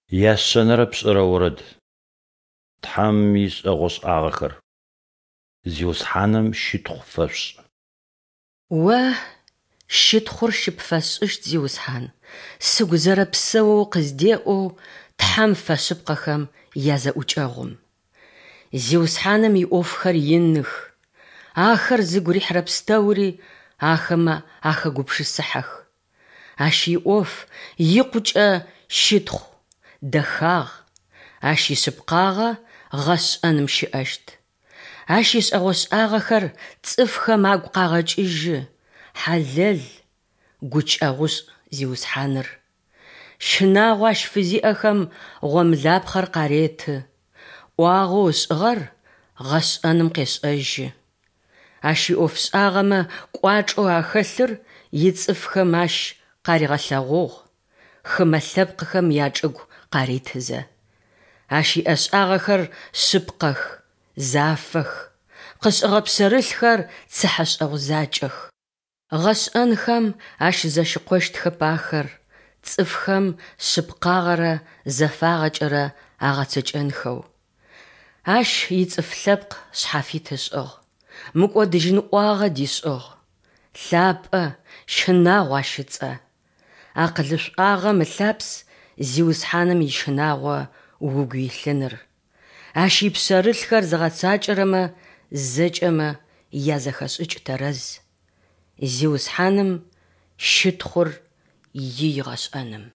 Яшъэнэрэ пшӏырэ орэд. Тхьэм ишӏэгъошӏагъэхэр. Зиусхьаным щытхъу фэшъушӏ. О щытхъур щыпфэсшӏыщт, Зиусхьан, сыгу зэрэпсэоу къыздеӏэу Тхьэм фэшъыпкъэхэм язэӏукӏэгъум. Зиусхьаным иӏофхэр иных, ахэр зыгу рихьырэ пстэури ахэмэ ахэгупшысыхьэх. Ащ иӏоф икъукӏэ щытхъу, дэхагъ, Ащ ишъыпкъагъэ гъэшӏэным щыӏэщт. Ащ ишӏэгъошӏагъэхэр цӏыфхэм агу къагъэкӏыжьы, хьалэл, гукӏэгъушӏ Зиусхьаныр. Щынагъо Ащ фызиӏэхэм гъомлапхъэр къареты, ӏуагъэу ышӏыгъэр гъэшӏэным къешӏэжьы. Ащ иӏофшӏагъэмэ кӏуачӏэу ахэлъыр ицӏыфхэм Ащ къаригъэлъэгъугъ, хымэ лъэпкъхэм ячӏыгу къаритызэ. Ащ иӏэшӏагъэхэр шъыпкъэх, зафэх, къышӏыгъэ пшъэрылъхэр цыхьэшӏэгъу закӏэх. Гъэшӏэнхэм ащызэщыкъощтхэп ахэр, цӏыфхэм шъыпкъагъэрэ зэфагъэкӏэрэ агъэцэкӏэнхэу. Ащ ицӏыф лъэпкъ шъхьафит ышӏыгъ, мыкӏодыжьын ӏуагъэ дишӏыгъ. Лъапӏэ, щынагъу Ащ ыцӏэ. Акъылышӏуагъэм ылъапс Зиусхьаным ищынагъо угу илъыныр. Ащ ипшъэрылъхэр зыгъэцакӏэрэмэ зэкӏэмэ язэхэшӏыкӏ тэрэз. Зиусхьаным щытхъур ий гъэшӏэным.